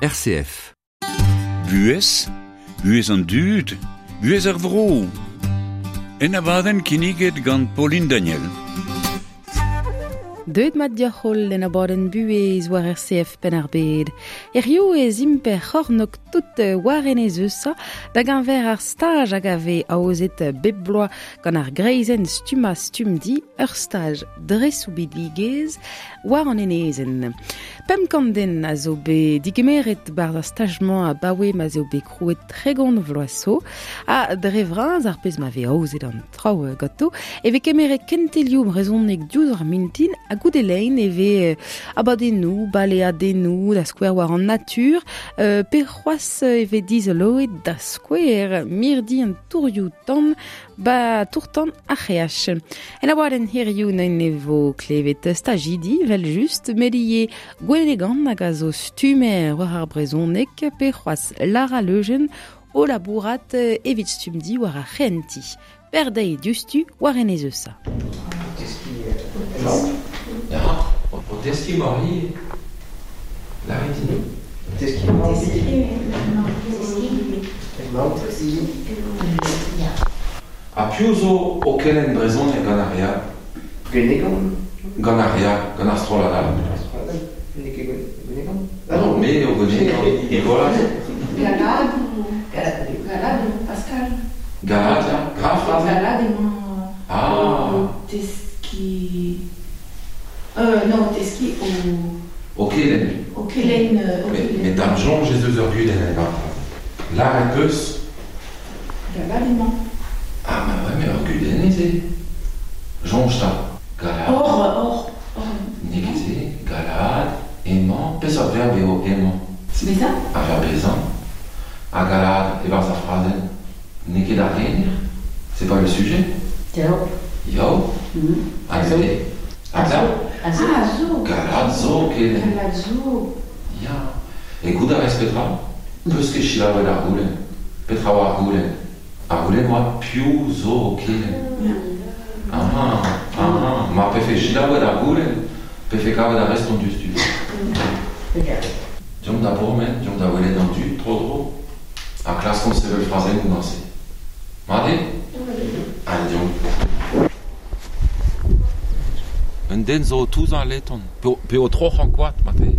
RCF. Buhez, buhez an dud, buhez ar vro. En abadenn kinniget gant Pauline Daniel. Deuet mat deoc'h holl en abadenn buhez war RCF Penn-ar-Bed. Hiziv ez imp er c'hornôg tout war enez Eusa da geñver ar staj hag a vez aozet bep bloaz gant ar greizenn stummañ Stumdi, ur staj dre soubidigezh war an enezenn. 500 den a zo bet digemeret 'barzh ar staj-mañ abaoe ma 'z eo bet krouet 30 vloaz zo. Ha dre vras ar pezh ma vez aozet an traoù ganto e vez kemeret kentelioù brezhoneg diouzh ar mintin ha goude lein e vez abadennoù, baleadennoù da skouer war an natur pe c'hoazh e vez dizoloet da skouer mirdi an tourioù-tan Ba tour-tan ar c'hreach. En abadenn hiziv ne vo klevet stajidi, vel just, met ivez Gwenegan hag a zo stummer war ar brezhoneg pe c'hoazh Lara Leujen o labourat evit Stumdi war ar c'henti. Berdeiz diouzhtu war Enez Eusa. Ya, o teskiñ Marie, lârit din. Teskiñ Marie. Ha piv zo o kelenn brezhoneg gant ar re all? Gwenegan. Gant ar re all, gant ar strollad all. Ar strollad all, n'eo ket Gwenegan. Ah non, me eo Gwenegan, Nicolas. Galad ou Galad eo Pascal. Galad, ya, graf aze. Galad emañ ah. o teskiñ... non, o teskiñ o... O kelenn. O kelenn... O kelenn. Met d'am soñj ez eus ur gudenn en Lâret 'peus Galad emañ. Ah ma ouais, mais ur gudenn eo se. Soñj 'ta. Galad. Or, or, or. N'eo ket se. Galad, emañ. Peseurt verb eo emañ? Bezañ? Ar verb bezañ. Ha galad e-barzh ar frazenn n'eo ket ar gener? C'est pas le sujet? Yao. Yao? Ha neuze? A zo. A zo. Galad zo kelenn. Galad zo. Ya. E goût a rez petra? Peus ket selaouet ar goulenn. Petra oa ar goulenn? Ar goulenn oa piv zo o kelenn. Ah, ah, mar pefe selaouet ar goulenn, pefe kavet ar respont diouzhtu. Deomp da bourmen, deomp da welet an dud tro-dro, ha klaskomp sevel frazennoù gant-se. Mat eo? Allez, deomp. Un den zo o touzañ al leton, pe o troc'hañ koad marteze.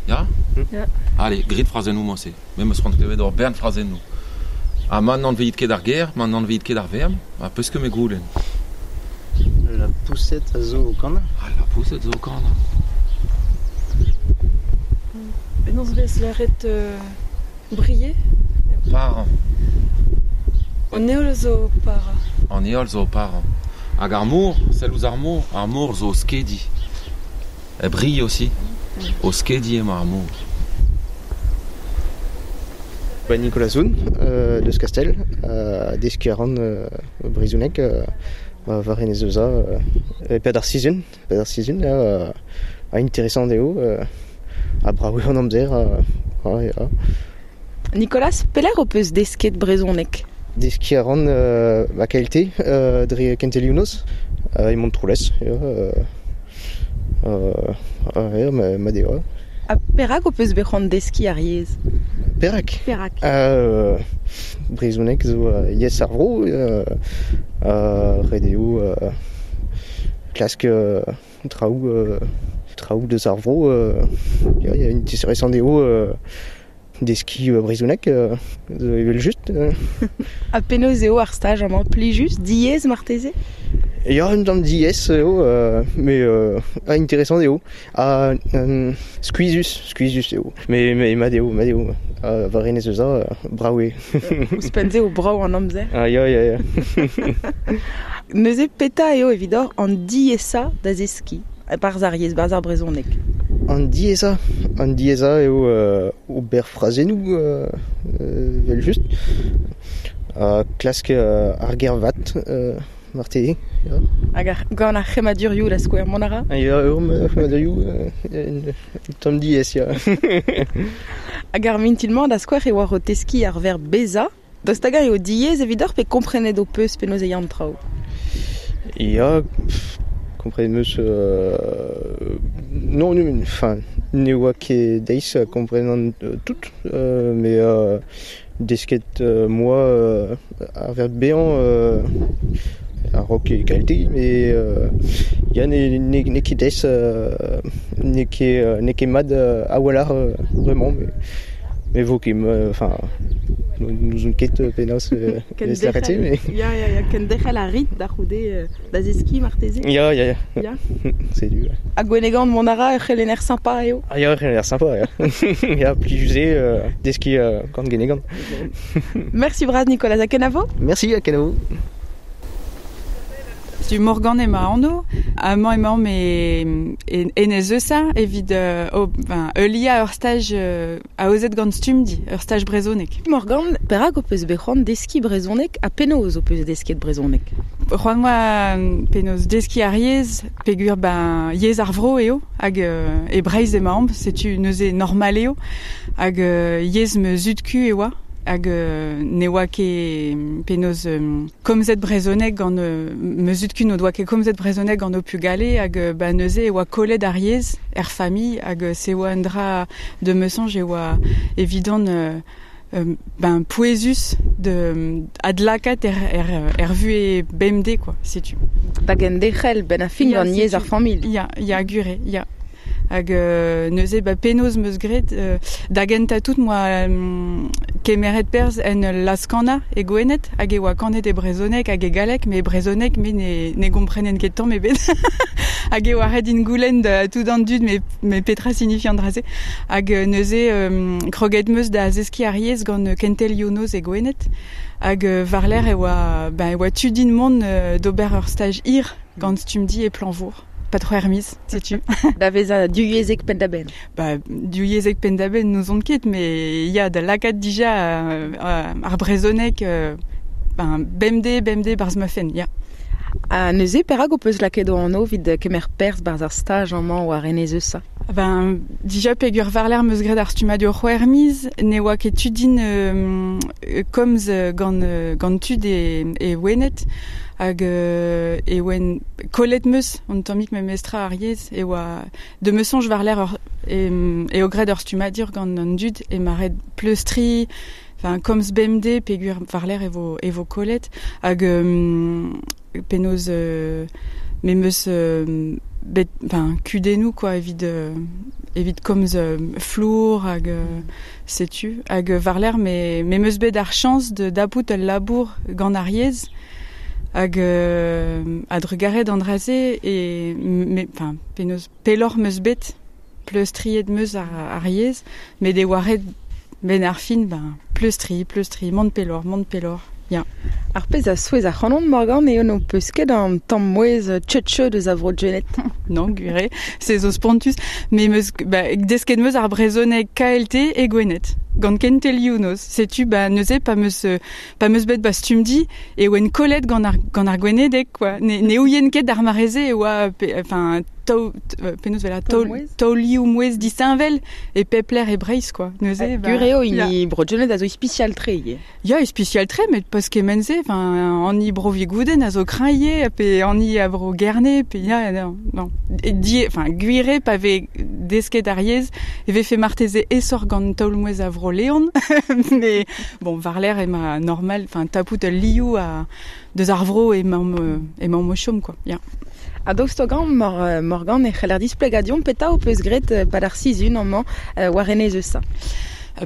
Ya? Ya. Allez, grit frazennoù mañ-se. Me 'm eus c'hoant klevet ur bern frazennoù. Ha ma n'anveit ket ar ger, ma n'anveit ket ar verb, ha peus ket me goulenn. La poussette a zo o kanañ. Ah, la poussette zo o kanañ. Penaos 'vez lâret briller? Parañ. An heol zo o parañ. An heol zo o parañ. Hag ar mor, sell ouzh ar mor, ar mor zo o skediñ. E brille aussi. O skediñ emañ ar mor. Ba Nicolas Zoun, deus Kastell, deskiñ a ran brezhoneg war Enez Eusa e-pad ar sizhun, e-pad ar sizhun ha interesant eo, ha brav eo an amzer, ya. Nicolas, pelec'h ho peus desket brezhoneg? Deskiñ a ran ma KLT dre kentelioù noz e Montroulez. Ya, mat eo. Ha perak ho peus bet c'hoant deskiñ ar yezh? Perak? Perak? Brezhoneg zo yezh ar vro. Ret eo klask traoù traoù deus ar vro. Ya, interesant eo Deskiñ brezhoneg evel-just. Ha penaos eo ar staj amañ? Plijus? Diaes marteze? Ya, un tamm diaes eo, met interesant eo. Ha skuizhus, skuizhus eo. Met mat eo, mat eo. War Enez Eusa, brav eo. Ouzhpenn-se eo brav an amzer. Ah ya, ya, ya. Neuze, petra eo evidoc'h an diaesañ da zeskiñ e-barzh ar yezh, 'barzh ar brezhoneg? An diaesañ, an diaesañ eo ober frazennoù evel-just. Ha klask ar ger vat marteze. Ya. Hag ar, gant ar c'hemmadurioù da skouer, mont a ra? Ya, ur c'hemmadurioù un tamm diaes, ya. Hag ar mintin-mañ da skouer e oar o teskiñ ar verb bezañ. Daoust hag-eñ eo diaes evidoc'h pe komprenet ho peus penaos e ya an traoù? Ya, komprenet 'm eus non, enfin, Ne oa ket deiz komprenan tout, mais desket moi ar ver bean ar rock e kalite, mais ya ne ket deiz ne ket mad a wallar vraiment, mais vo ket, enfin, nous on ket penaos l'arrêter, mais... Ya, ya, ya, kenderc'hel a rit da c'houde da zeski marteze. Ya, ya, ya. Ya. C'est du. Ha gwenegan mont a ra ur c'helenner sympa eo. Ah ya, ur c'helenner sympa, ya. Ya, plijus eo deski gant Gwenegan. Merci bras Nicolas, a kenavo. Merci, a kenavo. Tu Morgan ema anv, amañ emaomp e Enez Eusa evit heuliañ ur staj aozet gant Stumdi, ur staj brezhoneg. Morgan, perak ho peus bet c'hoant deskiñ brezhoneg ha penaos ho peus desket brezhoneg? C'hoant oa penaos deskiñ ar yezh, peogwir ben yezh ar vro eo, hag e Breizh emaomp, setu neuze normal eo, hag yezh ma zud-ku e oa. Hag ne oa ket penaos komzet brezhoneg gant ma zud-ku n'o doa ket komzet brezhoneg gant o pugale hag ba neuze e oa kollet ar yezh er familh hag se oa un dra de me soñj e oa evidon ben pouezus de adlakat er vuhez bemdez quoi, setu. Da genderc'hel ben a fin gant yezh ar familh. Ya, ya gure, ya. Hag neuze ba penaos 'm eus graet da gentañ tout moa kemeret perzh en ul laz-kanañ e Gwened hag e oa kanet e brezhoneg hag e galleg, met e brezhoneg me ne gomprenen ket tamm ebet. Hag e oa ret din goulenn da tout an dud me petra signifi an dra-se. Hag neuze kroget 'm eus da zeskiñ ar yezh gant kentelioù noz e Gwened. Hag war-lerc'h e oa ben e oa tu din mont d'ober ur staj hir gant Stumdi e Plañvour. Pas c'hwec'h miz, setu. Da vezañ divyezhek penn-da-benn. Ba, divyezhek penn-da-benn n'ouzon ket, mais ya, da lakaat dija ar brezhoneg ben, bemdez barzh ma fenn, ya. Ha neuze, perak ho peus lakaet ho anv evit kemer perzh barzh ar staj amañ war Enez Eusa? Ben, dija peogwir war-lerc'h 'm eus graet ar stummadur c'hwec'h miz, ne oa ket tu din komz gant tud e Wened. Hag e oen kollet 'm eus an tammig memestra ar yezh e oa de me soñj war-lerc'h eo graet ur stummadur gant an dud e ma ret pleustriñ, enfin komz bemdez peogwir war-lerc'h e vo kollet hag penaos me 'm eus bet enfin kudennoù quoi evit komz flour hag setu hag war-lerc'h me 'm eus bet ar chañs de dapout ul labour gant ar yezh hag a-drugarez d'an dra-se e me enfin penaos pelloc'h 'm eus bet pleustriet 'm eus ar yezh met e oa ret ben ar fin ben pleustriñ mont pelloc'h ya. Ar pezh a souezh ac'hanon Morgan eo n'ho peus ket an tamm mouezh tcheutcheut eus a vro Gwened. Non, gwir eo, se zo spontus, me 'm eus ba, desket 'm eus ar brezhoneg KLT e Gwened, gant kentelioù noz. Setu ba neuze pa 'm eus bet ba Stumdi e oen kollet gant ar Gwenedeg quoi. Ne ouien ket d'ar mare-se e oa enfin penaos vel taolioù mouezh disheñvel e pep lec'h e Breizh quoi. Neuze ba gwir eo hini bro Gwened a zo ispisial tre ivez. Ya, ispisial tre, met pas kement-se, enfin an bro Vigouden a zo kreñv ivez, pe an a vro Gerne, pe ya, non, non. Enfin gwir eo pa vez desket ar yezh e vefe marteze aesoc'h gant taol-mouezh a vro Leon, mais bon, war-lerc'h ema normal, enfin tapout ul liou a deus ar vro emaomp o chom quoi, ya. Ha daoust gant Morgan e c'heller displegañ petra ho peus graet pad ar sizhun amañ war Enez Eusa?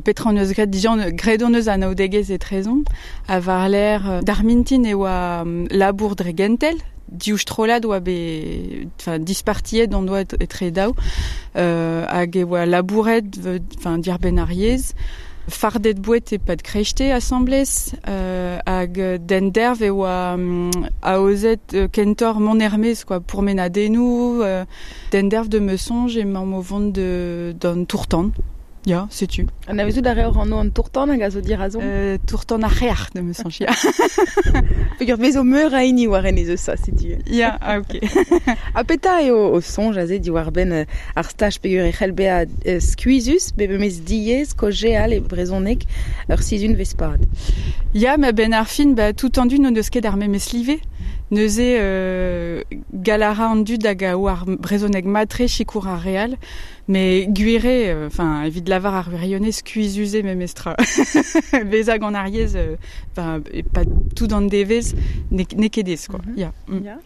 Petra hon eus graet dija, graet hon eus anaoudegezh etrezomp, ha war-lerc'h d'ar mintin e oa labour dre gentel, div strollad oa bet enfin dispartiet hon doa etre daou, hag e oa labouret enfin diarbenn ar yezh, fardet boued e-pad kreiste asambles, hag d'enderv e oa aozet kentoc'h mont er-maez quoi, pourmenadennoù, d'enderv de me soñj emaomp o vont d'an tour-tan. Ya, setu. Anavezout a reor anv an tour-tan hag a zo dirazomp? Tour-tan ar c'hrec'h, de me soñj, ya. Peogwir vez zo meur a hini war Enez Eusa, setu. Ya, ah, ok. Ha petra eo o soñj aze diwar-benn ar staj peogwir e c'hell bezañ skuizhus, bet memes diaes, kaozeal e brezhoneg ur sizhunvezh pad? Ya, ma benn ar fin, ba, tout an dud n'o deus ket ar memes live. Neuze galara an dud hag a oar brezhoneg matre sikour ar real, me gwire, enfin, evit lavar ar wirionez skuizhus memestra. Beza gant ar yezh, enfin, e pa tout an devez, ne ket ez, quoi. Ya.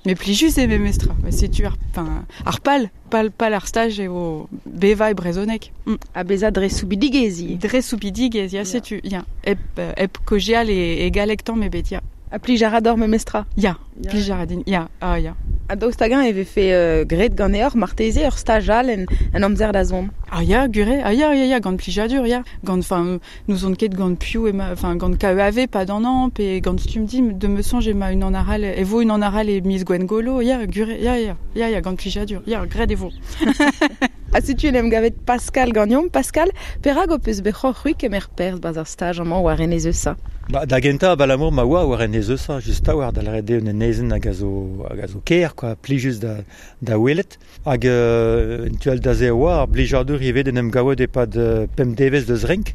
Me plijus eo memestra. Setu ar, enfin, ar pal ar staj eo beva e brezhoneg. A beza dre soubidigez. Dre soubidigez, ya, setu, ya. Hep kojeal e galleg tamm ebet, ya. A plij a ra d'or memestra? Ya, plij a ra din, ya, ah ya. A daoust hag-eñ e vefe graet ganeoc'h marteze ur staj all en amzer da zont? Ah ya, gure, ah ya, ya, ya, gant plijadur, ya. Gant, enfin, n'ouzon ket gant piv ema, enfin, gant KEAV, pa d'an an, pe gant Stumdi, de me soñj ema unan arall, e vo unan arall e miz Gwengolo, ya, gure, ya, ya, ya, ya, gant plijadur, ya, graet e vo. Ha setu en em gavet Pascal gagnon. Pascal, perak ho peus bet c'hoant c'hwi kemer perzh 'barzh ar staj amañ war Enez Eusa? Ba, da gentañ abalamour ma oa war Enez Eusa, just a-walc'h da lâret eo un enezenn hag a zo ker, quoi, plijus da welet. Hag en tu all da se a oa ar blijadur ivez d'en em gaout e-pad pemp devezh deus renk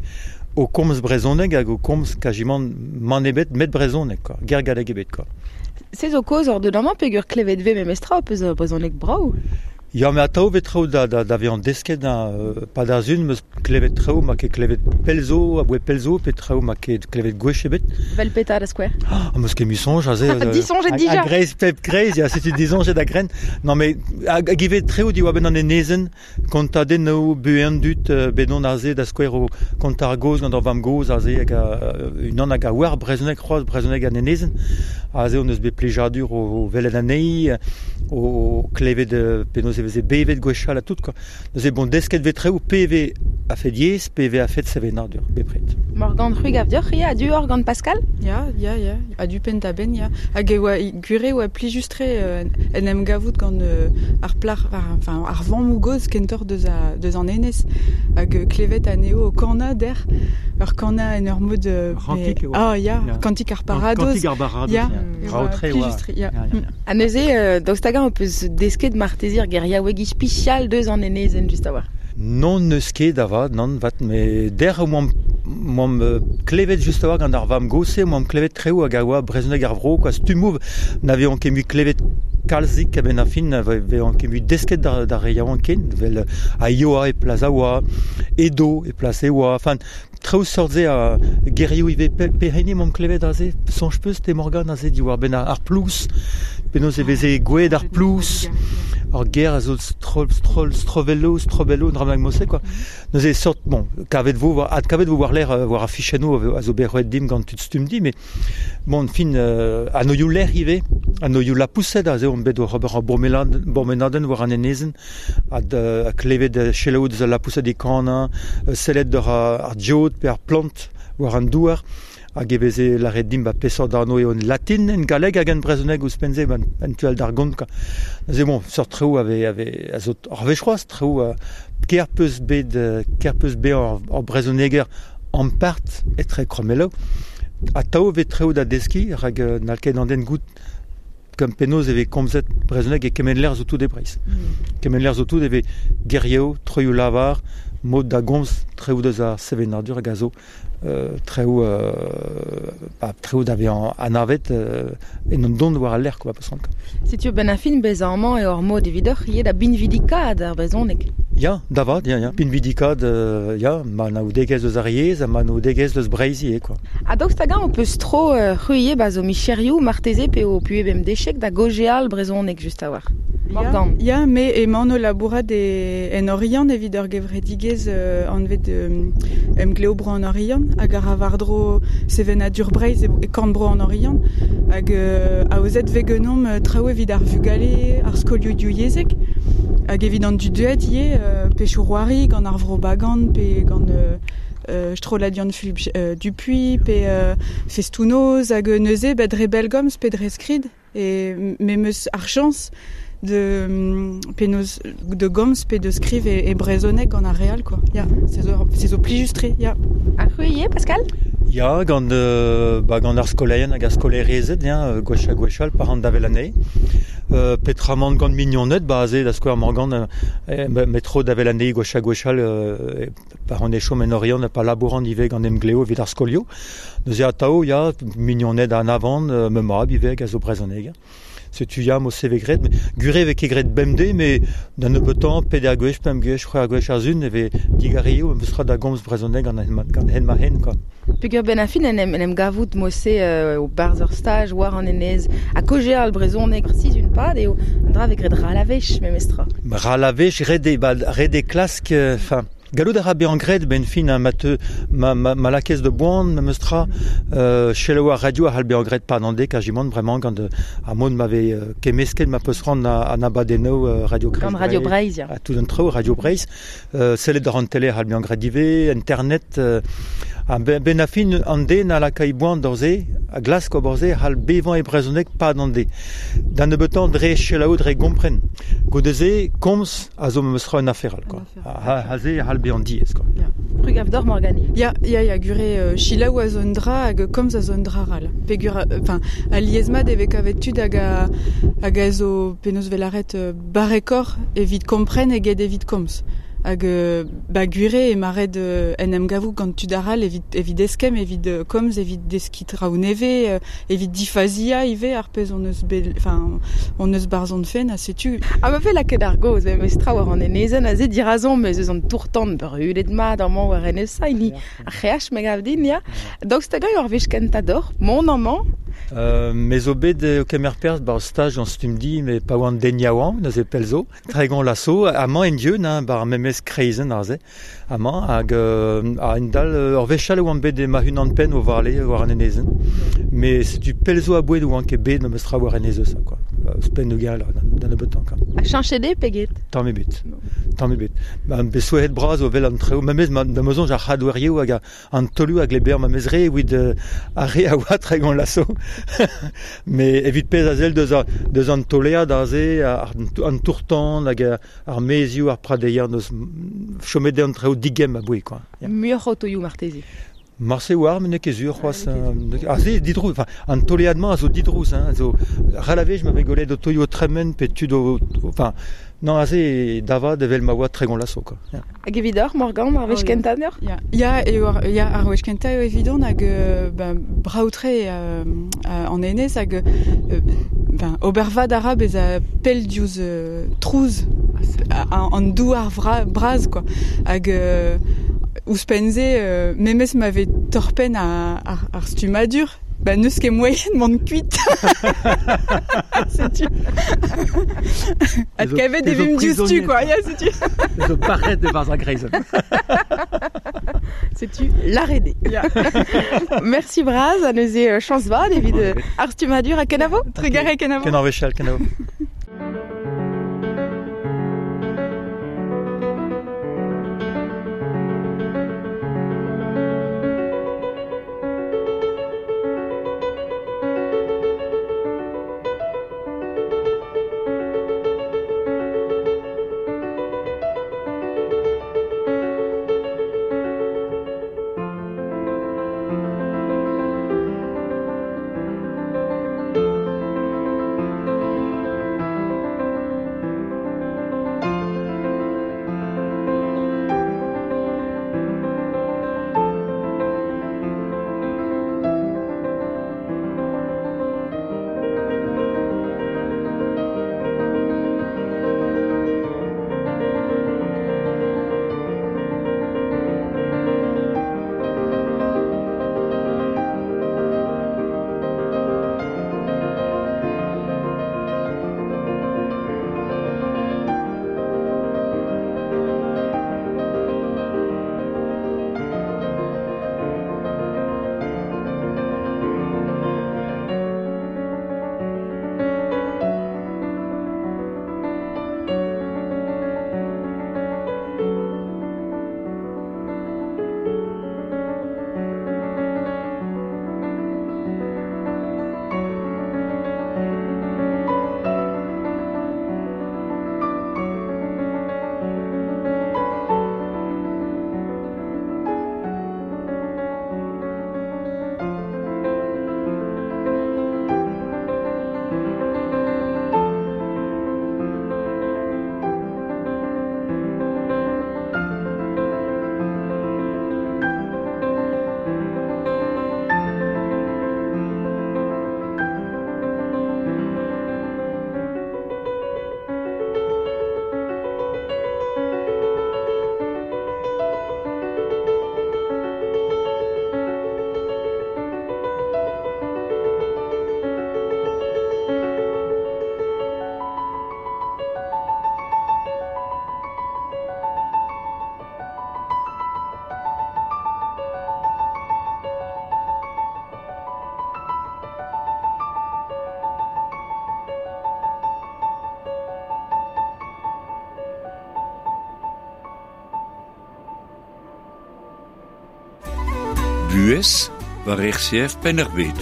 o komz brezhoneg hag o komz kajimant mann ebet met brezhoneg, quoi, ger galleg ebet, quoi. Se zo kaoz oc'h deut amañ peogwir klevet 'vez memestra ho peus brezhoneg brav? Ya, me atav 'vez traoù da vezañ desket, pa da sun 'meus klevet traoù ma ket klevet pell zo, aboe pell zo, pe traoù ma ket klevet gwech ebet. Vel petra da skouer? Ah, 'meus ket mui soñj aze. Disoñjet dija. A-greiz pep kreiz, ya, setu disoñjet a-grenn. Non, mais hag ivez traoù diwar-benn an enezenn, kontadennoù, buhez an dud, bet on aze da skouer o kontañ ar gaoz gant ur vamm-gozh aze hag unan hag a oar brezhoneg c'hoazh, brezhoneg an enezenn. Aze hon eus bet plijadur o welet anezhi, o klevet penaos e veze bevet gwechall ha tout, quoi. Neuze bon, desket 'vez traoù pe vez a-fet yezh, pe vez a-fet sevenadur, bepred. Morgan, c'hwi gav deoc'h ivez a-du oc'h gant Pascal? Ya, ya, ya, a-du penn-da-benn, ya. Hag e oa gwir e oa plijus-tre en em gavout gant ar plac'h, enfin, ar vammoù-gozh kentoc'h deus an enez, hag klevet anezho o kanañ dec'h, ur kanañ en ur mod... Kantik e oa. Ah, ya, kantik ar baradoz. Kantik ar baradoz, ya. Raotre oa. Ya. Ha neuze, daoust hag-eñ ho peus desket marteze ar geriaoueg ispisial deus an enezenn just a-walc'h? Non, n'eus ket avat, nann, vat, met dec'h oamp klevet just a-walc'h gant ar vamm-gozh-se, oamp klevet traoù hag a oa brezhoneg ar vro, quoi, stummoù n'aveont ket mui klevet kalzik a-benn ar fin, n'aveont ket mui desket d'ar re yaouank ken, vel a ioa e plas a oa, edo e plas e oa, enfin, traoù seurt-se a gerioù ivez pehini m'omp klevet aze, soñj peus te Morgan aze diwar-benn ar plouz, penaos e veze gweet ar plouz, ar ger a zo strovello, strobello, dra bennak mod-se, quoi. Neuze sort, bon, kavet vo, adkavet vo war-lerc'h war ar fichennoù a zo bet roet dimp gant tud Stumdi, met bon, fin, anoioù lec'h ivez, anoioù lapoused aze omp bet oc'h ober ur bourmenadenn war an enezenn, ha klevet selaou deus al lapoused e kanañ, sellet doc'h ar geot pe ar plant war an douar, hag e veze lâret dimp ba peseurt anv eo en latin, en galleg hag en brezhoneg ouzhpenn-se, en tu all d'ar gont, quoi. Neuze bon, seurt traoù a zo ar wech c'hoazh, traoù ker peus bet ker peus bezañ ur brezhoneger ampart etre krommelloù, atav e vez traoù da deskiñ, rak n'hall ket an den goût Gant penaos e vez komzet brezhoneg e kement lec'h zo tout e Breizh. Kement lec'h zo tout e vez gerioù, troioù lavar, mod da gomz, traoù deus ar sevenadur hag a zo traoù traoù da vezañ anavet en un dont war al lec'h quoi, peus Setu benn ar fin bezañ amañ eo ur mod evidoc'h ivez da binvidikaat ar brezhoneg. Ya, da vat, ya, ya. Pinvidikaat, ya, ma anaoudegezh eus ar yezh ha ma anaoudegezh eus Breizh ivez, quoi. Ha daoust hag-eñ ho peus tro c'hwi ivez ba zo micherioù marteze pe ho puhez bemdechek da gaozeal brezhoneg just a-walc'h? Morgan. Ya, me emaon o labourat en Oriant evit ur gevredigezh anvet Emglev Bro an Oriant hag a ra war-dro sevenadur Breizh e korn-bro an Oriant hag aozet 'vez ganeomp traoù evit ar vugale, ar skolioù divyezhek hag evit an dud deuet ivez, pechoù-c'hoari gant ar Vro Bagan pe gant strollad Yann-Fulub Dupuy pe festoù-noz hag neuze ba dre bellgomz pe dre skrid e me 'meus ar chañs de penaos de gomz pe de skriv e brezhoneg gant ar re all quoi. Ya, se zo plijus-tre, ya. Ha c'hwi ivez, Pascal? Ya, gant ba gant ar skolaerien hag ar skolaerezed, ya, gwech ha gwech all, pa ran da wel anezhe. Petramant gant mignoned, ba aze da skouer Morgan, metro da wel anezhe gwech ha gwech all, pa ran e chom en Oriant ha pa labouran ivez gant Emglev evit ar skolioù. Neuze atav, ya, mignoned anavan, ma mab ivez hag a zo brezhoneger. Setu ya mo seve gret, gure ve ket gret bemde, me d'an nebeutañ peder gwech, pemp gwech, c'hwec'h gwech ar zun, e ve digario, em eus da gomz brezhoneg gant hen ma hen, quoi. Peogwir ben a fin en em gavout mo-se o barzh ur staj war an enez a kojeal brezhoneg sizhun pad eo an dra vez graet ralavech memestra. Ralavech, ret eo klask, enfin, gallout a ra bezañ graet ben fin ma teu ma lakez de boan memestra selaou ar radio a c'hall bezañ graet pad an dek a-jimant bremañ gant ar mod ma vez kemmesket ma peus c'hoant an abadennoù Radio Kreiz. Gant Radio Breizh, ya. Ha tout an traoù Radio Breizh. Sellet ar an tele a c'hall bezañ graet ivez, internet. Ha ben a fin an den a laka e boan d'ur se, a glask ober se, a c'hall bevañ e brezhoneg pad an deiz. Da nebeutañ dre selaou, dre gompren. Goude-se, komz a zo memestra un afer all, quoi. Ha se a c'hall bezañ diaes, quoi. Ya. Trugav d'or Morgane. Ya, ya, ya, gure selaou a zo un dra hag komz a zo un dra ral. Peogwir, enfin, alies-mat e vez kavet tud hag a, hag a zo penaos 'vel lâret barrekoc'h evit kompren eget evit komz. Hag ba gwir eo ema ret en em gavout gant tud arall evit eskemm, evit komz, evit deskiñ traoù nevez, evit difaziañ ivez ar pezh hon eus bet, enfin, hon eus barzh hon fenn ha setu. Ha ma vez lakaet ar gaoz memes tra war an enezenn aze dirazomp ez eus an tour-tan brudet mat amañ war enez hini ar c'hreach me gav din, ya. Daoust hag-eñ ur wech kentañ deoc'h mont amañ? Me zo bet o kemer perzh 'barzh staj gant Stumdi met pa oan den yaouank neuze pell zo. Tregont laso, amañ en-dieun, hein, 'bar memes kreizenn aze, amañ, hag a-hend-all, ur wech all e oan bet ma-unan-penn o vale war an enezenn. Mais setu pell zo a-boued oan ket bet memes tra war enez Eusa, quoi. Ouzhpenn gal da nebeutañ, quoi. Ha cheñchet eo pe get? Tamm ebet. Tamm ebet. Ba, bet souezhet bras o wel an traoù, memes ma, da ma soñj ar c'hadorioù hag an taolioù a gleber memes re evit ar re a oa tregont laso. Mais evit pezh a sell deus an tolead aze, an tour-tan hag ar maezioù, ar pradeier, neus chomet eo an traoù digemm a-bouez, quoi. Muioc'h otoioù marteze. Marse oar, met n'eo ket sur c'hoazh. Aze, didrouz, enfin, an tolead-mañ a zo didrouz, hein, a zo ral a wech ma vez gwelet otoioù o tremen pe tud o... Enfin, non, aze, da vat evel ma oa tregont laso, quoi. Yeah. Hag evidoc'h, Morgan, ar wech kentañ deoc'h? Ya, ya, eo ar, ya, ar wech kentañ eo evidon hag ben, brav-tre an enez hag ben, ober vad a ra bezañ pell diouzh trouz an douar bras, quoi. Hag ouzhpenn-se, memes ma vez torr-penn ar stummadur, ba n'eus ket moaien mont kuit. Setu. Adkavet e vimp diouzhtu, quoi. Ya, setu. Zo paret e-barzh ar greizenn. Setu l'arrêt. Ya. Merci bras, ha neuze chañs vat evit ar stummadur ha kenavo. Trugarez, kenavo. Kenavo wechall, kenavo. Buhez war RCF Penn-ar-Bed.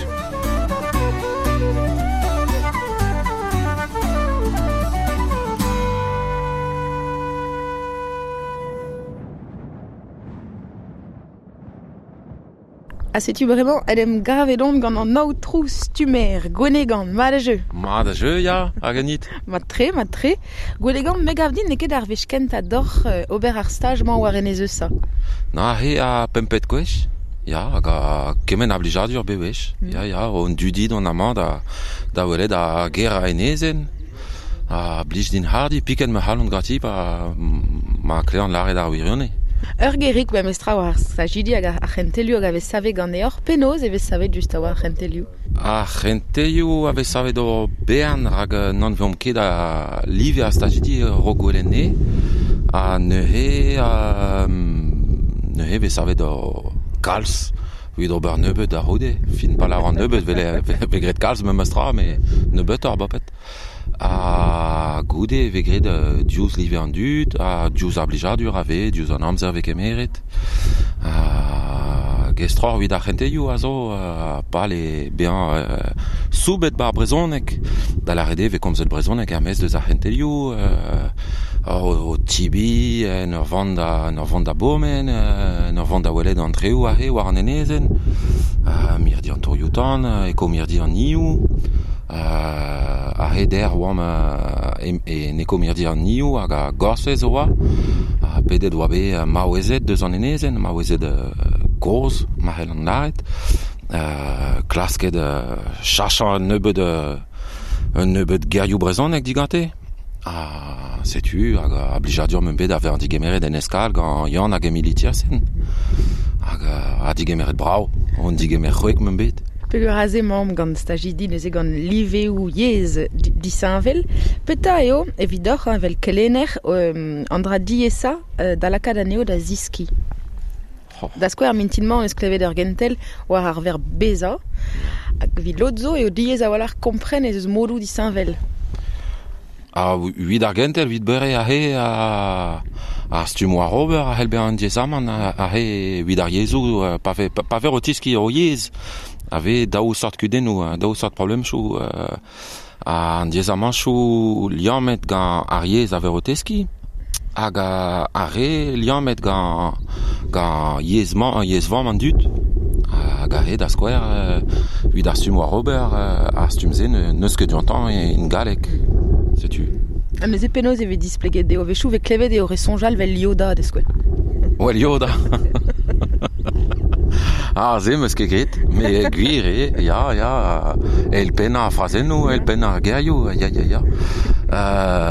Ha setu bremañ en em gavet on gant an aotrou Stumer, Gwenegan, mat a jeu. Mat a jeu, ya, hag anit. Mat-tre, mat-tre. Gwenegan, me gav din n'eo ket ar wech kentañ doc'h ober ar staj-mañ war enez Eusa. Na, he a pempet gwech. Ya, hag a kement a blijadur bewech. Ya, ya, on dudi d'an amañ da, da welet a ger a enezenn. A blij din hardi, piket ma c'halon ganti pa ma klean lâret ar wirionez. Ur gerig memestra war ar stajidi hag ar c'hentelioù hag a vez savet ganeoc'h. Penaos e vez savet just a-walc'h ar c'hentelioù? Ar c'hentelioù a vez savet o bern rak n'anveomp ket a live ar stajidi raok gwelet ha neuze neuze vez savet o kalz evit ober nebeut da c'houde. Fin pa lâran nebeut vel vez graet kalz memestra met nebeutoc'h boped. Ha goude e vez graet diouzh live an dud, ha diouzh ar blijadur a vez, diouzh an amzer vez kemeret. Ha gestroc'h evit ar c'hentelioù a zo pal eo bezañ soubet 'ba ar brezhoneg. Da lâret eo e vez komzet brezhoneg er-maez deus ar c'hentelioù, o tibi, en ur vont da, en ur vont da bourmen, en ur vont da welet an treoù aze war an enezenn, mirdi an tourioù-tan, ekomirdi an Nioù. A-hed oamp en ekomirdi an Nioù hag a Gorsez oa. Ha pedet oa bet maouezed deus an enezenn, maouezed kozh, ma c'hellan lâret. Klasket chachañ un nebeud gerioù brezhoneg digante. Ha setu hag a blijadur meump bet da vezañ digemeret en eskal gant Yann hag Emilie Tiersen. Hag a digemeret brav, on digemer c'hwek meump bet. Peogwir aze emaomp gant stajidi neuze gant liveoù yezh disheñvel. Petra eo evidoc'h evel kelenner an dra diaesañ da lakaat anezho da zeskiñ? Da skouer mintin-mañ eus klevet ur gentel war ar verb bezañ. Hag evit lod zo eo diaes a-walc'h kompren ez eus modoù disheñvel. Ha evit ar gentel, evit beure aze ar stumm war ober a c'hell bezañ un diaezamant aze evit ar yezhoù pa vez pa vez o teskiñ ur yezh a vez daou seurt kudennoù, daou seurt problemoù an diaezamantoù liammet gant ar yezh a vez o teskiñ hag ar re liammet gant gant yezh-mañ yezh-vamm an dud hag aze da skouer evit ar stumm war ober ar stumm-se n'eus ket diontañ en galleg setu. Ha neuze penaos e vez displeget dezho? A-wechoù e vez klevet eo re soñjal 'vel Yoda da skouer. Well Yoda. Ah, se 'meus ket graet, met gwir eo, ya, ya, eilpennañ ar frazennoù, eilpennañ ar gerioù, ya, ya, ya.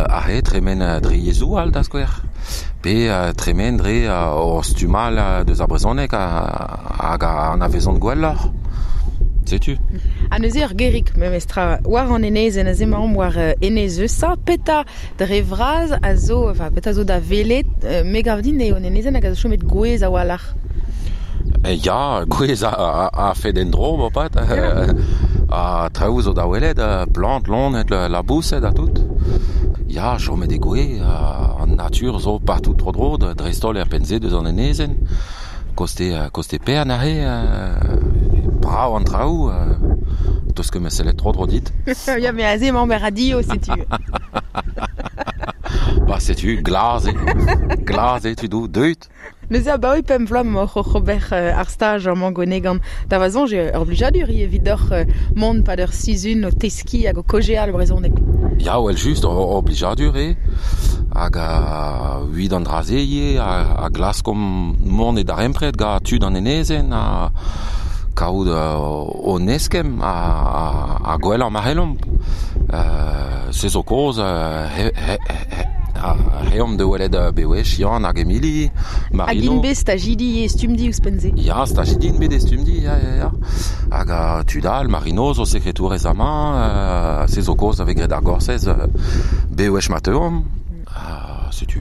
Aze tremen dre yezhoù all da skouer, pe tremen dre ur stumm all deus ar brezhoneg hag a anavezont gwelloc'h. Setu. Ha neuze ur gerig memestra war an enezenn aze emaomp war enez Eusa. Petra dre vras a zo, enfin, petra zo da welet? Me gav din eo un enezenn hag a zo chomet gouez a-walc'h. Ya, gouez a fed en-dro, moarvat. Ha traoù zo da welet, plant, loened, laboused ha tout. Ya, chomet eo gouez, an natur zo partout tro-dro, dreist-holl er penn-se deus an enezenn. Koste, koste Pern aze, brav an traoù, 'teus ket sellet tro-dro dit. Ya, met aze emaomp er radio, setu. Ba setu, glas eo, glas eo tudoù, deuit. Neuze abaoe pemp vloaz emaoc'h oc'h ober ar staj amañ Gwenegan. Da va soñj eo ur blijadur ivez evidoc'h mont 'pad ur sizhun o teskiñ hag o kaozeal brezhoneg. Ya, well-just, ur blijadur eo. Hag evit an dra-se ivez a glaskomp mont e darempred gant tud an enezenn ha kaout hon eskemm ha gwellañ ma c'hellomp. Se zo kaoz reomp da welet bewech Yann hag Emilie, Marino. Hag int bet stajidi e Stumdi ouzhpenn-se. Ya, stajidi int bet e Stumdi, ya, ya, ya. Hag tud all, Marino zo sekretourez amañ, se zo kaoz a vez graet ar Gorsez bewech ma teuomp. Setu.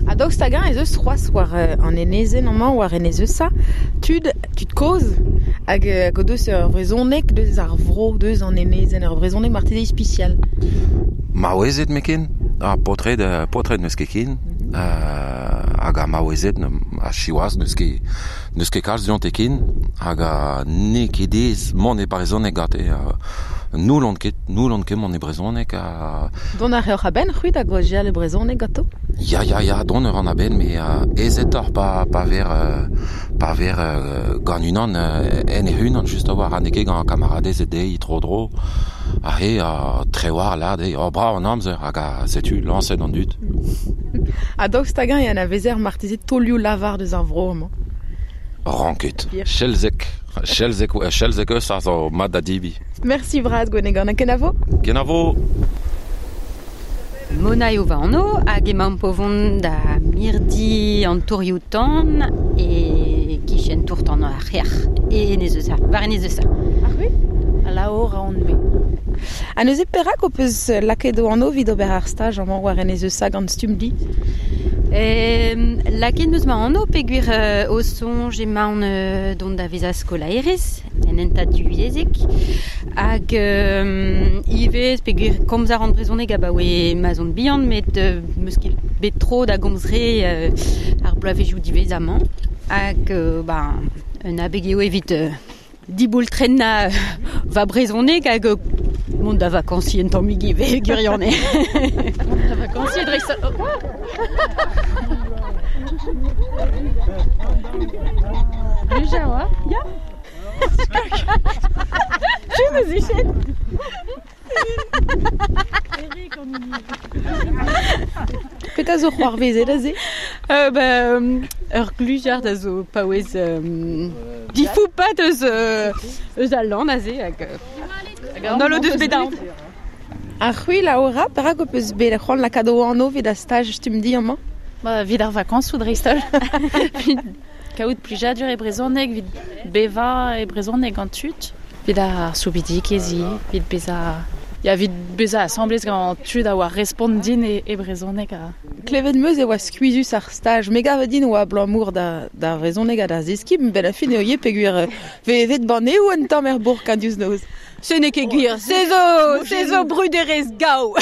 Ha daoust hag-eñ ez eus c'hoazh war an enezenn amañ, war enez Eusa, tud, tud kozh hag hag o deus ur brezhoneg deus ar vro, deus an enezenn, ur brezhoneg marteze ispisial? Maouezed met ken, ha paotred, paotred n'eus ket ken. hag a maouezet a chiwaz neus ket kalz diont eken hag a ne ket dez mont e brezhoneg gante noulon ket mont e brezhoneg a... Don a reoc'h a-benn c'hwi da gojial e brezhoneg ganto? Ya, don ur an a-benn, me ezetoc'h pa ver gant unan en e unan just a war, ha n'eo ket gant kamaradez e dezhi tro-dro a he trewar la dezhi, oh brav an amzer hag a setu lañset an dud. Ha daoust hag-eñ e anavezer marteze taolioù lavar deus ar vro amañ? Ranket. Chelzek eus ar zo mat da dibi. Merci bras Gwenegan, ha kenavo? Kenavo! Mona eo va anv hag emaomp o vont da mirdi an tourioù-tan e kichen tour-tan ar c'hrec'h e Enez-Eusa, war Enez-Eusa. Ar c'hwi? Laora on-me. Ha neuze perak ho peus lakaet o anv evit ober ar staj amañ war Enez-Eusa gant Stumdi? Lakaet 'm eus ma anv peogwir o soñj emaon dont da vezañ skolaerez en hentad divyezhek hag ivez peogwir komz a ran brezhoneg abaoe ma 'z on bihan met 'm eus ket bet tro da gomz re ar bloavezhioù diwezhañ-mañ hag un abeg eo evit diboultrennañ va brezhoneg hag mont da vakañsiñ un tammig ivez gwirionez. Mont da vakañsiñ dreist-holl. Luja oa? Ya. Tu me zichet. Petra zo c'hoarvezet aze? Ur glujard a zo paouez difoupat eus al lann aze hag an holl o deus bet aon. Ar c'hwi, Laura, perak ho peus bet c'hoant lakaat ho anv evit ar staj Stumdi amañ? Evit ar vakañsoù dreist-holl. Kaout plijadur e brezhoneg, evit bevañ e brezhoneg gant tud. Evit ar soubidigezh ivez, evit bezañ... Ya, evit bezañ asambles gant tud a oa respont din e brezhoneg. Klevet 'm eus e oa skuizhus ar staj. Me gav din oa abalamour d'ar brezhoneg ha d'ar zeskiñ, benn ar fin eo ivez peogwir vevet banneoù un tamm er bourk an diouzh noz. Se n'eo ket gwir, se zo bruderezh gaou.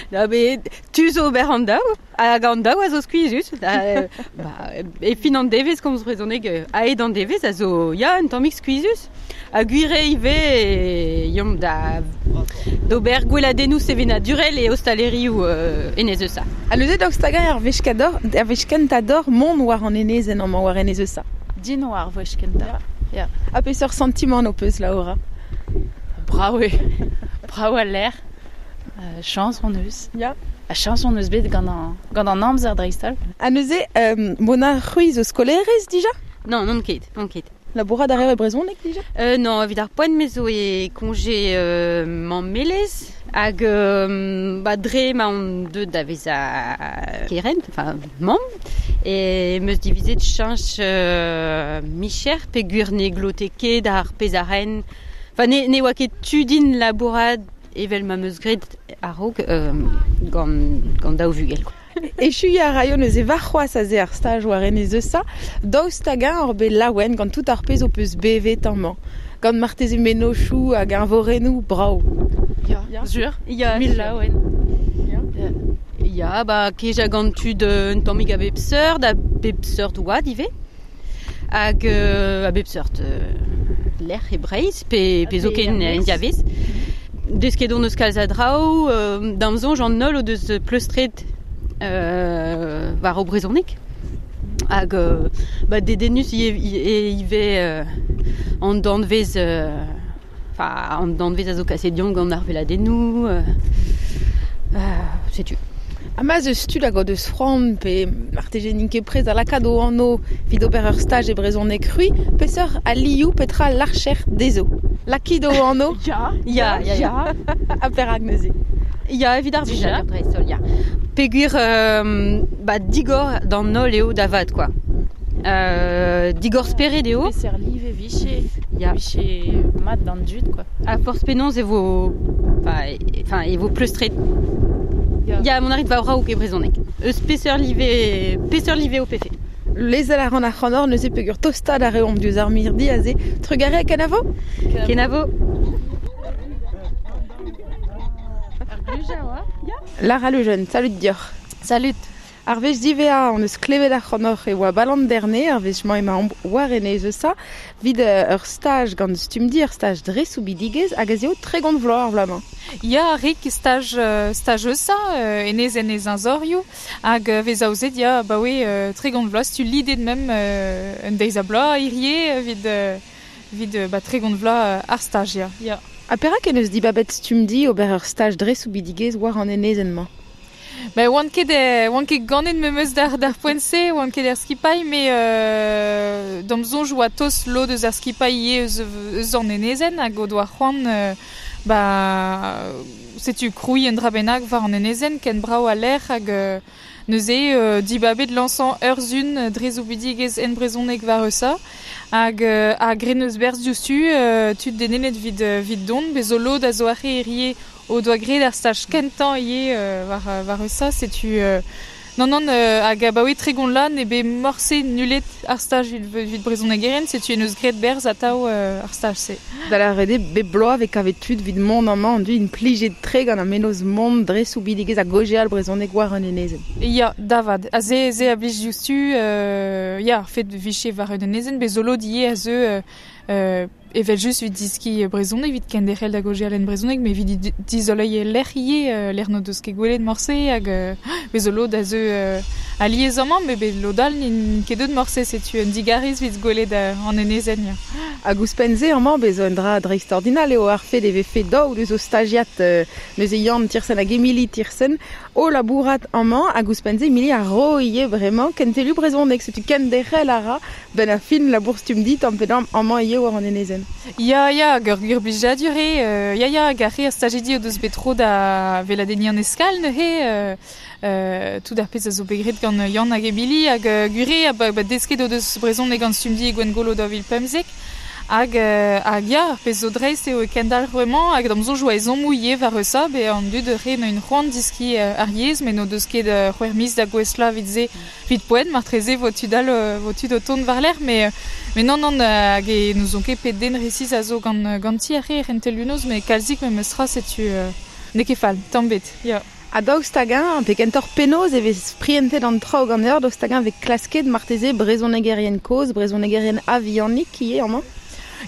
Na met tu zo ober an daou, hag an daou a zo skuizhus. E fin an devezh komz brezhoneg aet an devezh a zo ya un tammig skuizhus. Ha gwir eo ivez yomp da d'ober gweladennoù sevenadurel e ostalerioù Enez-Eusa. Ha neuze daoust hag-eñ ar wech kentañ d'or mont war an enezenn amañ war Enez-Eusa? Din war ar wech kentañ. Ya. Ha peseurt santimant ho peus, Laura? Brav eo. Brav al lec'h. Chañs hon eus. Ya. Ha chañs hon eus bet gant an amzer dreist-holl. Ha neuze, Mona, c'hwi zo skolaerez dija? Non, n'on ket. Labourat a reer e brezhoneg dija? Non, evit ar poent me zo e koñje mammelezh hag dre ma on deuet da vezañ kerent, enfin mamm, e 'm eus divizet cheñch micher peogwir ne glote ket ar pezh a ren. Enfin ne oa ket tu din labourat evel ma 'm eus graet a-raok gant daou vugel. Echuiñ a raio neuze warc'hoazh aze ar staj war Enez-Eusa, daoust hag-eñ oc'h bet laouen gant tout ar pezh ho peus bevet amañ, gant marteze mennozhioù hag eñvorennoù brav. Ya, sur. Ya, mil laouen. Ya, kejañ gant tud un tammig a bep seurt oad ivez, hag a bep seurt lec'h e Breizh, pe zoken en diavez. Desket hon eus kalz a draoù, da'm soñj an holl o deus pleustret war o brezhoneg hag dedennus ivez an danvez an danvez a zo kaset deomp gant ar veladennoù setu. Ha ma 'z eus tud hag o deus c'hoant pe marteze n'int ket prest da lakaat o anv evit ober ur staj e brezhoneg c'hwi, peseurt alioù petra larcher dezho? Lakit o anv? Ya. Ha perak neuze? Ya, evit ar blijadur dreist-holl, ya. Peogwir digor d'an holl eo da vat, quoi. Digor spered eo. Peseurt live viche, viche mat d'an dud, quoi. Ha forzh penaos e vo, enfin, e vo pleustret. Ya, mon arit va raok e brezhoneg. Eus peseurt live ho pefe? Lezel a ran ar c'hanor neuze peogwir tostaat a reomp diouzh ar mirdi aze. Trugarez, kenavo? Kenavo. Lara Le Jeune, salut dioc'h. Salut. Ar wech divea on eus klevet ar c'honoc'h e oa balan derne, ar wech mañ ema omp war enez eus vid ur staj gant stumdi, ur staj dre soubidigez hag ez eo 30 vloaz ar vloaz-mañ. Ya, rik staj, staj eusa, enez enez anzorioù, hag vez aozet ya, ba oe 30 vloaz, tu lidet mem un deiz a bloaz, hirie, vid ba 30 vloaz ar staj, ya. Ya. Ha perak en eus dibabet stumdi ober ur staj dre soubidigez war an enezenn-mañ? Ba oan ket ganet memeus d'ar poent-se, oan ket er skipailh, me d'am soñj oa tost lod eus ar skipailh ivez eus an enezenn hag o doa c'hoant ba setu krouiñ un dra bennak war an enezenn ken brav a lec'h hag neuze dibabet lañsañ ur sun dre zoubidigezh en brezhoneg war eusa hag a gren eus berzh diouzhtu tud dedennet vid dont bez zo lod a zo arre hirie o doa graet ar staj kentañ ivez war eusa, setu non hag abaoe 30 lan e bet morse nullet ar staj vid brezhonegeren, setu en eus graet berzh atav ar staj-se. Da la rede bep bloaz vez kavet tud vid mont amañ an dud plijet tre gant an menoz mont dre soubidigezh ha gojeal brezhoneg war an enezenn. Ya, davad. A ze a blij diouzhtu, ya, ar fet viche war un enezenn, bez zo lod ivez a zeu evel just vid diski brezhoneg, vid kenderc'hel da gojeal en brezhoneg, met vid dizoleiñ lec'h ivez, lec'h n'o deus ket gwelet morse, hag bez zo lod a zeu alies amañ, met bet lod all n'int ket deut morse, setu un digarez vid gwelet an enezenn. Ya. Hag ouzhpenn-se amañ, bez zo un dra dreistordinal eo ar fet e vefe daou deus o stagiat neuze Yann Tirsen hag Emily Tirsen o labourat amañ, hag ouzhpenn-se Emily a ro ivez bremañ kentelioù brezhoneg, setu kenderc'hel a ra ben ar fin labour stumdi tamm pe damm amañ ivez war an enezenn. Ya, ya, hag ur gwir blijadur eo, ya, ya, hag ar re ar stajidi o deus bet tro da veladenniñ an eskal neuze, tout ar pezh a zo bet graet gant Yann hag Emily, hag gwir eo, ba desket o deus brezhoneg gant stumdi e Gwengolo 2015, hag ya, ar pezh zo dreist eo kendalc'h bremañ, hag d'am soñj oa ezhommoù ivez war eusa, be an dud re n'o c'hoant diski ar yezh, met n'o deus ket c'hwec'h miz da gouestlañ vid se, vid poent, martreze vo tud all, vo tud o tont war-lerc'h, met non, hag e n'ouzon ket pet den resis a zo ganti ar re rentelioù-noz, met kalzik memes tra, setu n'eo ket fall, tamm bet, ya. Ha daoust hag-eñ, pe kentoc'h penaos e vez prientet an traoù ganeoc'h, daoust hag-eñ vez klasket marteze brezhonegerien kozh, brezhonegerien a-vihanik ivez amañ?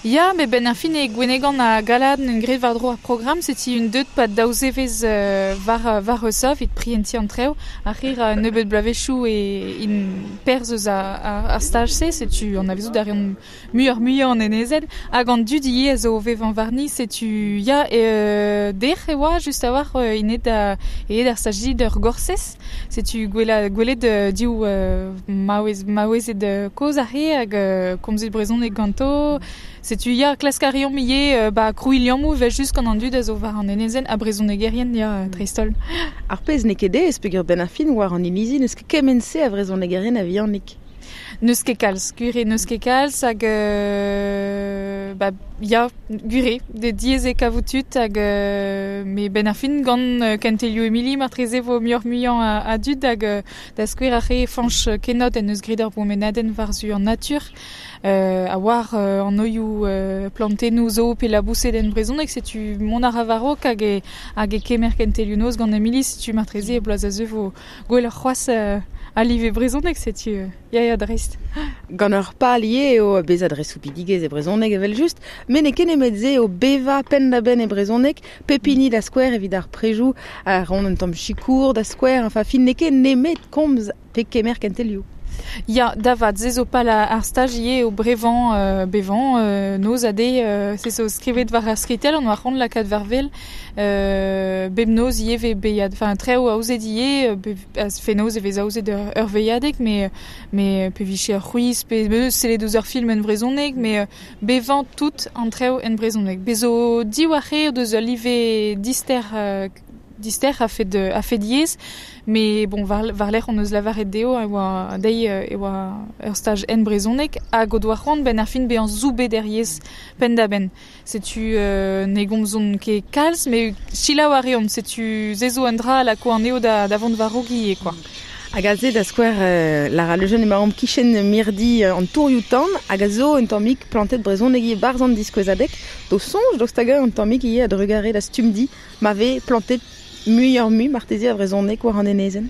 Ya, met ben ar fin e Gwenegan a Galad n'en graet war-dro ar programm, setu un deut pad daou zevezh war eusa evit prientiñ an trev, ar re ra nebeut bloavezhioù e in perzh eus ar staj-se, setu an avezout a reont muioc'h muiañ an enezenn, hag an dud ivez a zo vevañ warni, setu ya, dec'h e oa just a-walc'h int aet ar stajidi d'ur gorsez, setu gwelet div maouezed kozh ar re hag komzet brezhoneg ganto. Setu ya, klask a reomp ivez ba krouiñ liammoù evel just gant an dud a zo war an enezenn ha brezhonegerien ya, dreist-holl. Ar pezh n'eo ket aes peogwir benn ar fin war an inizi n'eus ket kement-se a vrezhonegerien a-vihanik. N'eus ket kalz, gwir eo n'eus ket kalz hag ba ya, gwir eo, de diaes eo kavout tud hag met benn ar fin gant kentelioù Emily martreze vo muioc'h-muiañ a dud hag da skouer ar re Fañch Kenod en eus graet ur bourmenadenn war-zu an natur. A war an oioù plantennoù zo pe laboused en brezhoneg, setu mont a ra war-raok hag e kemer kentelioù noz gant Emily, setu martreze e bloaz a zeu vo gwelloc'h c'hoazh a live brezhoneg, setu ya, dreist. Gant ur pal ivez eo bezañ dre soubidigezh e brezhoneg evel just, met n'eo ket nemet se eo bevañ penn-da-benn e brezhoneg, pep hini da skouer evit ar prejoù, a ran un tamm sikour da skouer, enfin fin n'eo ket nemet komz pe kemer kentelioù. Ya, davad, se zo pal ar staj ivez eo brevañ, bevañ, noz ha deiz, se zo skrivet war ar skritell, an oa c'hoant lakaat war wel, bep noz ivez vez beilhad, enfin trev aozet ivez, fenoz e vez aozet ur veilhadeg, met pe vije ur c'hwiz, pe sellet ouzh ur film en brezhoneg, met bevañ tout an trev en brezhoneg. Bez zo div ar re deus ul live dister a fed yezh, mais bon, war-lerc'h on eus lavaret dezho e oa deiz e oa ur staj en brezhoneg hag o doa c'hoant benn ar fin bezañ zoubet er yezh penn-da-benn. Setu ne gomzont ket kalz, met selaou a reont, setu se zo un dra a lako anezho da vont war-raok ivez, quoi. Hag aze da skouer Lara Lejeune emaomp kichen mirdi an tourioù-tan hag a zo un tammig plantet brezhoneg ivez barzh an diskouezadeg, d'o soñj daoust hag un tammig ivez a-drugarez da stumdi ma vez plantet muioc'h-mui marteze a vrezhoneg war an enezenn.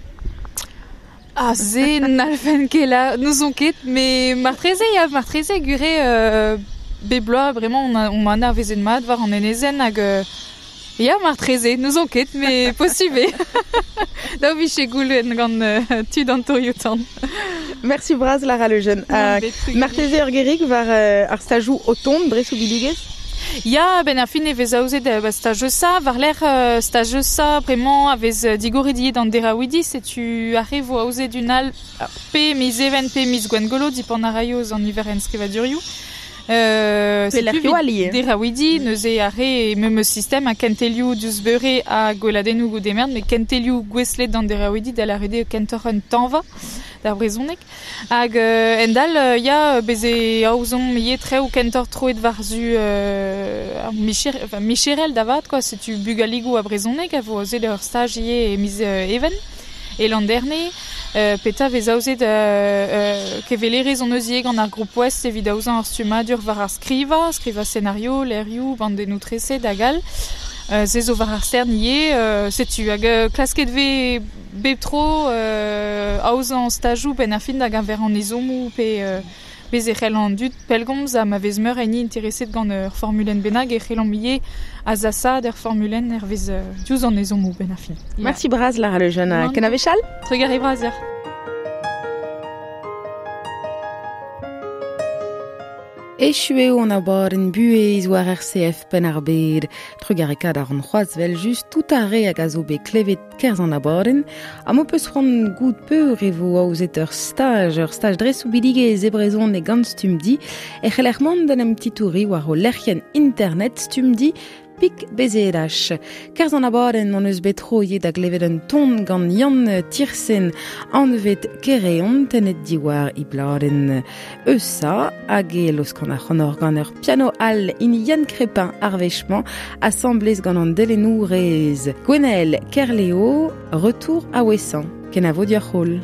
Ah, se n'alfen ket la, n'ouzon ket, mais martreze, ya, martreze, gure bep bloaz bremañ on, on anavezet mat war an enezenn hag ya, martreze, n'ouzon ket, mais posubl eo. Daou vije goulenn gant tud an tourioù-tan. Merci bras Lara Le Jeune. Marteze ur gerig war ar stajoù o tont dre soubidigezh? Ya, a-benn ar fin e vez aozet ba staj Eusa. War-lerc'h staj Eusa, bremañ a vez digoret ivez d'an deraouidi. Setu ar re vo aozet un all pe miz Even pe miz Gwengolo, dipant a raio eus an niver enskrivadurioù. Setu evit deraouidi, neuze ar re memes sistem ha kentelioù diouzh beure ha gweladennoù goude mern, met kentelioù gouestlet d'an deraouidi da lâret eo kentoc'h un tañva d'ar brezhoneg. Hag endal, ya, bez' e aozomp ivez traoù kentoc'h troet war-zu ar micher, enfin, micherel da vat, quoi. Setu bugaligoù a brezhoneg a vo aozet ur staj ivez e miz Even. E Landerne, petra vez aozet kevelerezh hon eus ivez gant ar Groupe Ouest evit aozañ ur stummadur war ar skrivañ, skrivañ senario, levrioù, bandennoù treset hag all. Se zo war ar stern ivez. Setu hag klasket vez bep tro aozañ stajoù benn ar fin da geñver an ezhommoù pe Bez' e c'hell an dud pellgomz ha ma vez meur a hini intereset gant ur formulenn bennak e c'hellomp ivez azasaat ur formulenn hervez diouzh an ezhommoù benn ar fin. Merci bras Lara Lejeune. Kenavechal? Trugarez bras deoc'h. Echu eo an abadenn buhez war RCF Penn-ar-Bed. Trugarekaat a ran c'hoazh 'vel-just tout ar re hag a zo bet klevet kerzh an abadenn. Ha m'ho peus c'hoant goût peur e vo aozet ur staj, ur staj dre soubidigezh e brezhoneg gant Stumdi, e c'heller mont d'en em titouriñ war ho lec'hienn internet Stumdi Pik BZH. Kerzh an abadenn hon eus bet troiet da glevet un ton gant Yann Tirsen anvet Kereon tennet diwar e bladenn Eusa hag e laoskan ac'hanoc'h gant ur piano all hini Yann Crépin ar wech-mañ asambles gant an delennourez Gwenaël Kerleo, Retour à Ouessant. Kenavo dioc'h holl.